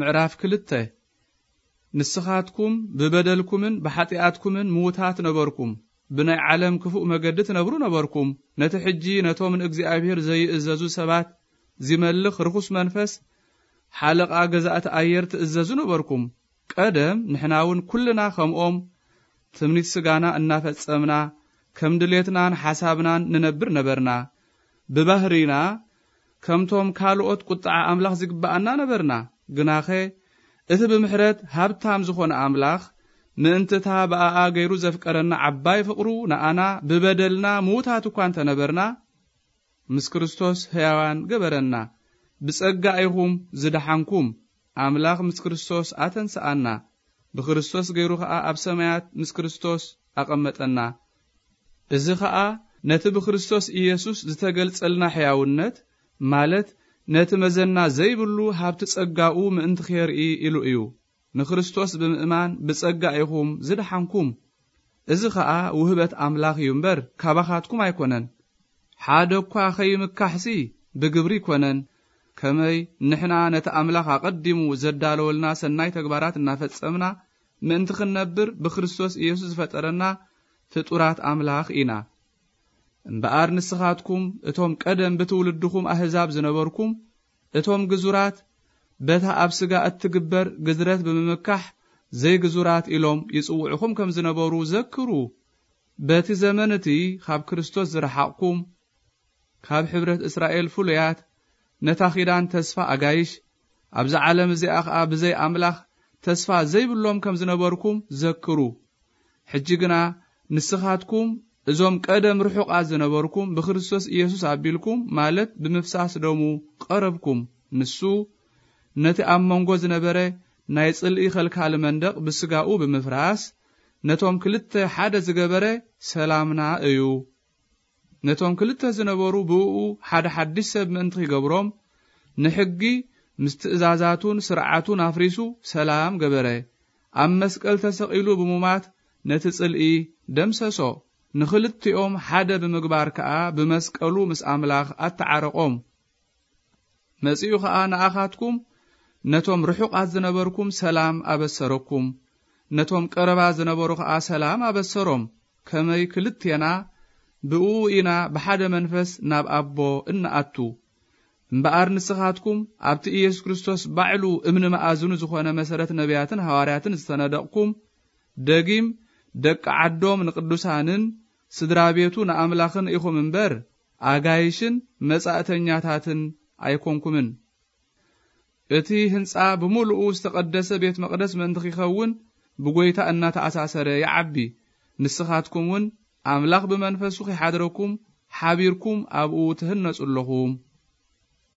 ምዕራፍ ክልተ። ንስኻትኩም ብበደልኩምን ብሓጢኣትኩምን ምዉታት ነበርኩም። ብናይ ዓለም ክፉእ መገዲ ትነብሩ ነበርኩም። ነቲ ሕጂ ነቶም ንእግዚኣብሔር ዘይእዘዙ ሰባት ዚመልኽ ርኹስ መንፈስ፣ ሓለቓ ገዛእቲ ኣየር ትእዘዙ ነበርኩም። ቀደም ንሕና እውን ኩልና ከምኦም ትምኒት ስጋና እናፈጸምና፣ ከም ድሌትናን ሓሳብናን ንነብር ነበርና። ብባህርይና ከምቶም ካልኦት ቁጥዓ ኣምላኽ ዝግብኣና ነበርና። ግናኸ እቲ ብምሕረት ሃብታም ዝኾነ ኣምላኽ፣ ምእንቲ እታ ብኣኣ ገይሩ ዘፍቀረና ዓባይ ፍቕሩ፣ ንኣና ብበደልና ምዉታት እኳ እንተ ነበርና፣ ምስ ክርስቶስ ሕያዋን ገበረና። ብጸጋ ኢኹም ዝደሓንኩም። ኣምላኽ ምስ ክርስቶስ ኣተንስኣና። ብክርስቶስ ገይሩ ኸኣ ኣብ ሰማያት ምስ ክርስቶስ ኣቐመጠና። እዚ ኸኣ ነቲ ብክርስቶስ ኢየሱስ ዝተገልጸልና ሕያውነት፣ ማለት ነቲ መዘና ዘይብሉ ሃብቲ ጸጋኡ ምእንቲ ኼርኢ ኢሉ እዩ። ንክርስቶስ ብምእማን ብጸጋ ኢኹም ዝደሓንኩም። እዚ ኸኣ ውህበት ኣምላኽ እዩ እምበር፣ ካባኻትኩም ኣይኮነን። ሓደ እኳ ኸይምካሕሲ ብግብሪ ኣይኮነን። ከመይ ንሕና ነቲ ኣምላኽ ኣቐዲሙ ዘዳለወልና ሰናይ ተግባራት እናፈጸምና ምእንቲ ክንነብር ብክርስቶስ ኢየሱስ ዝፈጠረና ፍጡራት ኣምላኽ ኢና። እምበኣር ንስኻትኩም እቶም ቀደም ብትውልድኹም ኣህዛብ ዝነበርኩም፣ እቶም ግዙራት በታ ኣብ ስጋ እትግበር ግዝረት ብምምካሕ ዘይግዙራት ኢሎም ይጽውዑኹም ከም ዝነበሩ ዘክሩ። በቲ ዘመን እቲ ካብ ክርስቶስ ዝረሓቕኩም፣ ካብ ሕብረት እስራኤል ፍሉያት፣ ነታ ኪዳን ተስፋ ኣጋይሽ፣ ኣብዛ ዓለም እዚኣ ኸኣ ብዘይ ኣምላኽ ተስፋ ዘይብሎም ከም ዝነበርኩም ዘክሩ። ሕጂ ግና ንስኻትኩም እዞም ቀደም ርሑቓት ዝነበርኩም ብክርስቶስ ኢየሱስ ኣቢልኩም፣ ማለት ብምፍሳስ ደሙ ቀረብኩም። ንሱ ነቲ ኣብ መንጎ ዝነበረ ናይ ጽልኢ ከልካሊ መንደቕ ብስጋኡ ብምፍራስ፣ ነቶም ክልተ ሓደ ዝገበረ ሰላምና እዩ። ነቶም ክልተ ዝነበሩ ብእኡ ሓደ ሓድሽ ሰብ ምእንቲ ኺገብሮም፣ ንሕጊ ምስ ትእዛዛቱን ስርዓቱን ኣፍሪሱ ሰላም ገበረ። ኣብ መስቀል ተሰቒሉ ብምማት ነቲ ጽልኢ ደምሰሶ። ንኽልቲኦም ሓደ ብምግባር ከኣ ብመስቀሉ ምስ ኣምላኽ ኣተዓረቖም። መጺኡ ኸኣ ንኣኻትኩም ነቶም ርሑቓት ዝነበርኩም ሰላም ኣበሰረኩም። ነቶም ቀረባ ዝነበሩ ኸኣ ሰላም ኣበሰሮም። ከመይ ክልቴና ብእኡ ኢና ብሓደ መንፈስ ናብ ኣቦ እንኣቱ። እምበኣር ንስኻትኩም ኣብቲ ኢየሱስ ክርስቶስ ባዕሉ እምኒ መኣዝኑ ዝኾነ መሰረት ነቢያትን ሃዋርያትን ዝተነደቕኩም፣ ደጊም ደቂ ዓዶም ንቅዱሳንን ስድራ ቤቱ ንኣምላኽን ኢኹም እምበር፣ ኣጋይሽን መጻእተኛታትን ኣይኮንኩምን። እቲ ህንጻ ብምሉኡ ዝተቐደሰ ቤት መቕደስ ምእንቲ ኺኸውን ብጐይታ እናተኣሳሰረ ይዓቢ። ንስኻትኩም እውን ኣምላኽ ብመንፈሱ ኺሓድረኩም ሓቢርኩም ኣብኡ ትህነጹ ኣለኹም።